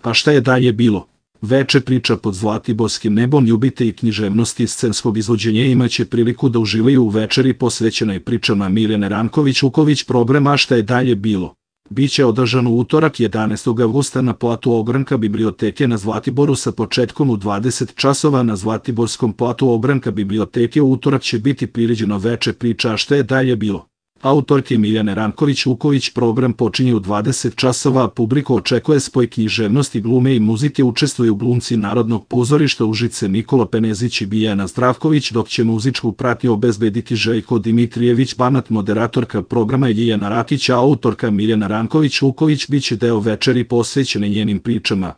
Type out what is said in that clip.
Pa šta je dalje bilo? Veče priča pod zlatiborskim nebom ljubite i književnosti scenskog izvođenja imaće priliku da uživaju u večeri posvećenoj pričama Mirjane Ranković-Vuković. Program A šta je dalje bilo biće održan u utorak 11. avgusta na platu Ogranka biblioteke na Zlatiboru sa početkom u 20 časova. Na Zlatiborskom platu Ogranka biblioteke u utorak će biti priređeno veče priča A šta je dalje bilo. Autorke Mirjane Ranković-Vuković. Program počinje u 20 časova, a publiku očekuje spoj književnosti, glume i muzike. Učestvuju glumci Narodnog pozorišta Užice Nikola Penezić i Bijana Zdravković, dok će muzičku pratnju obezbediti Željko Dimitrijević Banat. Moderatorka programa je Ljiljana Rakić, a autorka Mirjana Ranković-Vuković biće deo večeri posvećene njenim pričama.